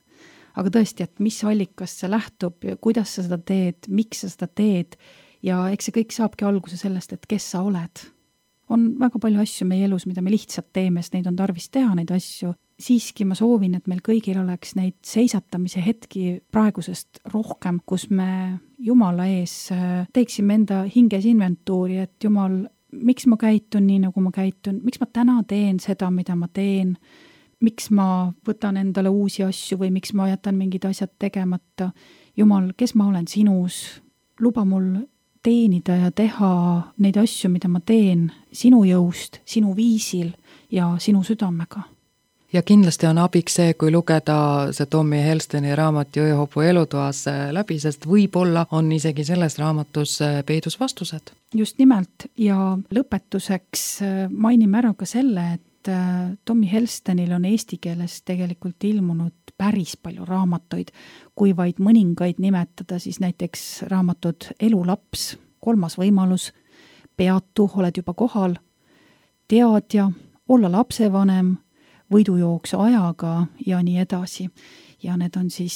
[SPEAKER 2] Aga tõesti, et mis allikast see lähtub, kuidas sa seda teed, miks sa seda teed, ja eks see kõik saabki alguse sellest, et kes sa oled. On väga palju asju meie elus, mida me lihtsalt teeme, sest neid on tarvis teha, neid asju. Siiski ma soovin, et meil kõigil oleks neid seisatamise hetki praegusest rohkem, kus me Jumala ees teeksime enda hinges inventuuri, et Jumal, miks ma käitun nii, nagu ma käitun, miks ma täna teen seda, mida ma teen, miks ma võtan endale uusi asju või miks ma jätan mingid asjad tegemata. Jumal, kes ma olen sinus, luba mul teenida ja teha neid asju, mida ma teen sinu jõust, sinu viisil ja sinu südamega.
[SPEAKER 3] Ja kindlasti on abiks see, kui lugeda see Tommy Helsteni raamat Jõehobu elutoas läbi, sest võib-olla on isegi selles raamatus peidus vastused.
[SPEAKER 2] Just nimelt ja lõpetuseks mainime ära ka selle, et Tommy Helstenil on eesti keeles tegelikult ilmunud päris palju raamatuid, kui vaid mõningaid nimetada, siis näiteks raamatud Elulaps, Kolmas võimalus, Peatu, oled juba kohal, Teadja, Olla lapsevanem, Võidujooks ajaga ja nii edasi. Ja need on siis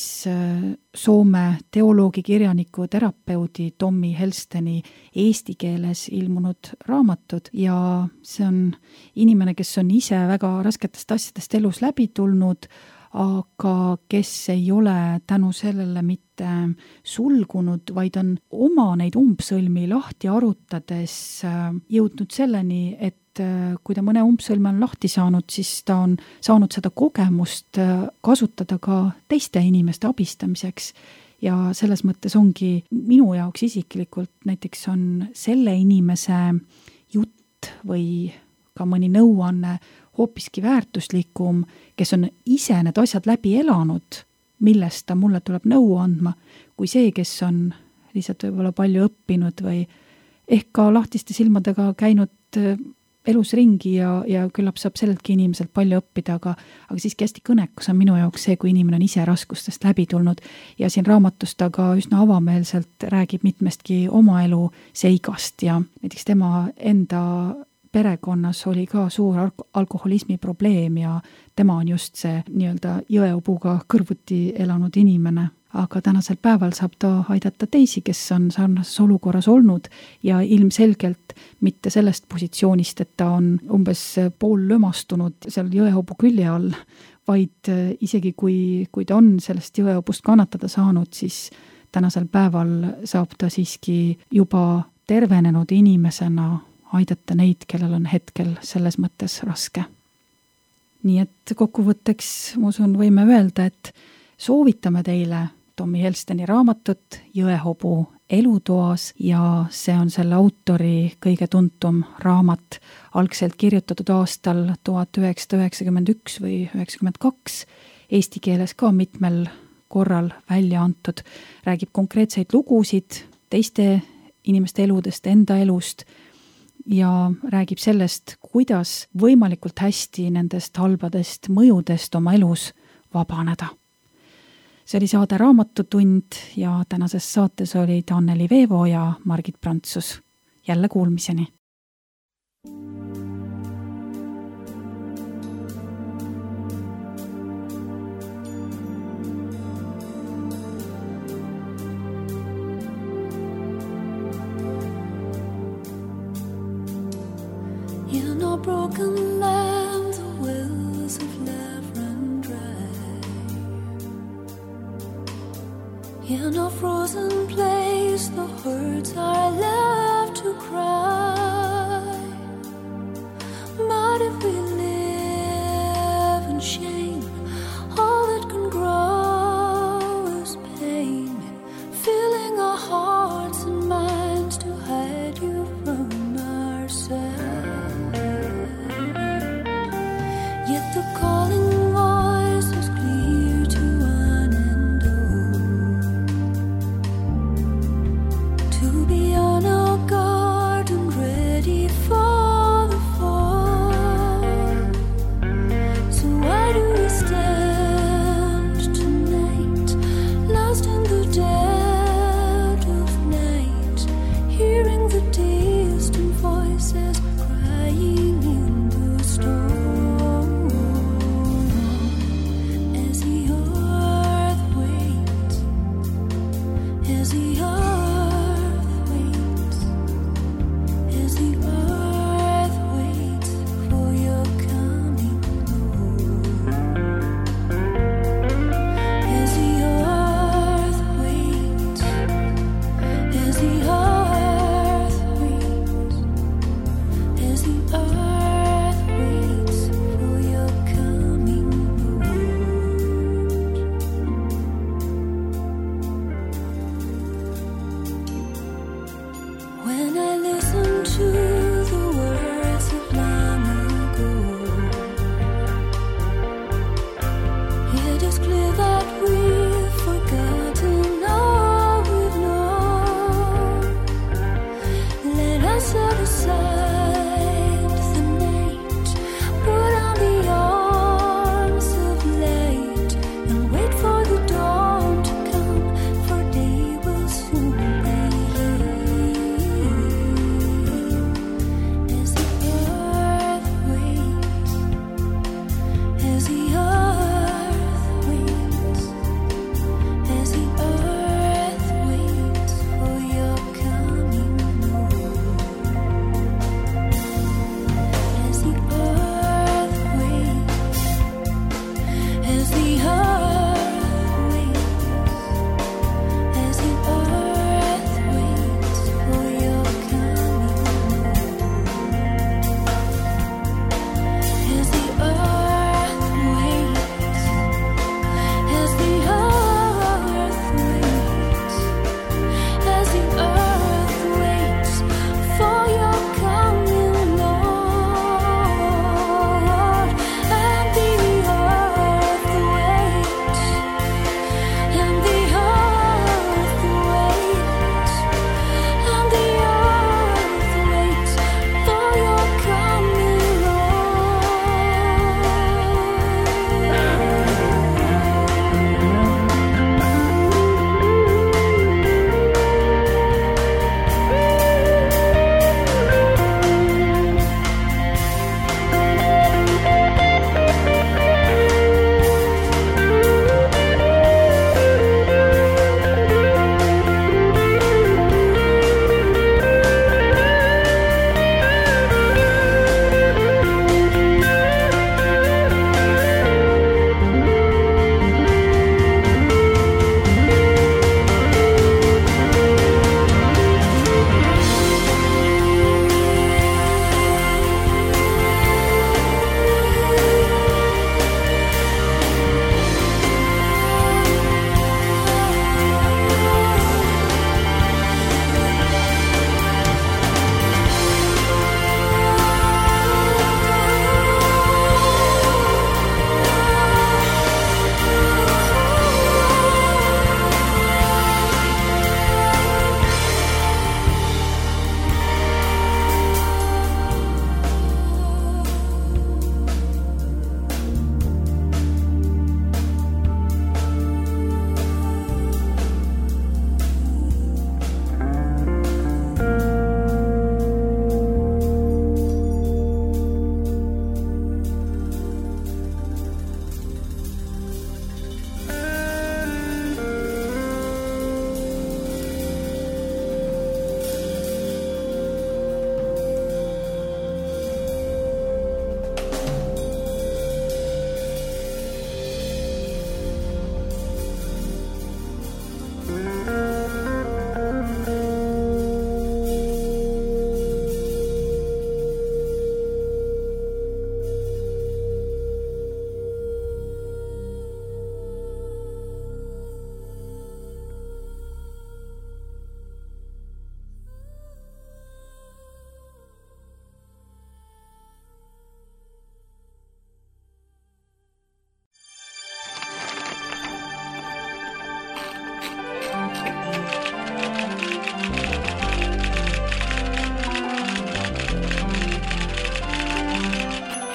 [SPEAKER 2] Soome teoloogi, kirjaniku, terapeudi Tommy Helsteni eesti keeles ilmunud raamatud ja see on inimene, kes on ise väga rasketest asjadest elus läbi tulnud, aga kes ei ole tänu sellele mitte sulgunud, vaid on oma neid umbsõlmi lahti arutades jõudnud selleni, et kui ta mõne umbsõlme on lahti saanud, siis ta on saanud seda kogemust kasutada ka teiste inimeste abistamiseks. Ja selles mõttes ongi minu jaoks isiklikult näiteks on selle inimese jutt või ka mõni nõuanne hoopiski väärtuslikum, kes on ise need asjad läbi elanud, millest ta mulle tuleb nõu andma, kui see, kes on lihtsalt võib-olla palju õppinud või ehk ka lahtiste silmadega käinud elus ringi ja küllap saab selleltki inimeselt palju õppida, aga siiski hästi kõnekus on minu jaoks see, kui inimene on ise raskustest läbi tulnud ja siin raamatus ta ka üsna avameelselt räägib mitmestki oma elu seigast ja näiteks tema enda perekonnas oli ka suur alkoholismi probleem ja tema on just see nii-öelda jõeobuga kõrvuti elanud inimene. Aga tänasel päeval saab ta aidata teisi, kes on sarnases olukorras olnud ja ilmselgelt mitte sellest positsioonist, et ta on umbes pool lömastunud seal jõehobu külje all, vaid isegi kui ta on sellest jõeobust kannatada saanud, siis tänasel päeval saab ta siiski juba tervenenud inimesena aidata neid, kellel on hetkel selles mõttes raske. Nii et kokkuvõtteks, ma usun, võime öelda, et soovitame teile Tommy Helsteni raamatut Jõehobu elutoas ja see on selle autori kõige tuntum raamat, algselt kirjutatud aastal 1991 või 1992, eesti keeles ka mitmel korral välja antud, räägib konkreetseid lugusid teiste inimeste eludest, enda elust ja räägib sellest, kuidas võimalikult hästi nendest halbadest mõjudest oma elus vabaneda. See oli saade Raamatutund ja tänases saates olid Anneli Veevo ja Margit Prantsus. Jälle kuulmiseni!
[SPEAKER 4] In a broken land, the wells of love run dry. In a frozen place, the hearts are left to cry. But if we live in shame, all that can grow is pain, filling our hearts and minds to hide you from ourselves. Yet the calling voice is clear to one and all, to be on our guard and ready for the fall. So why do we stand tonight, lost in the dead of night, hearing the distant voices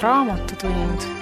[SPEAKER 1] Raamatutund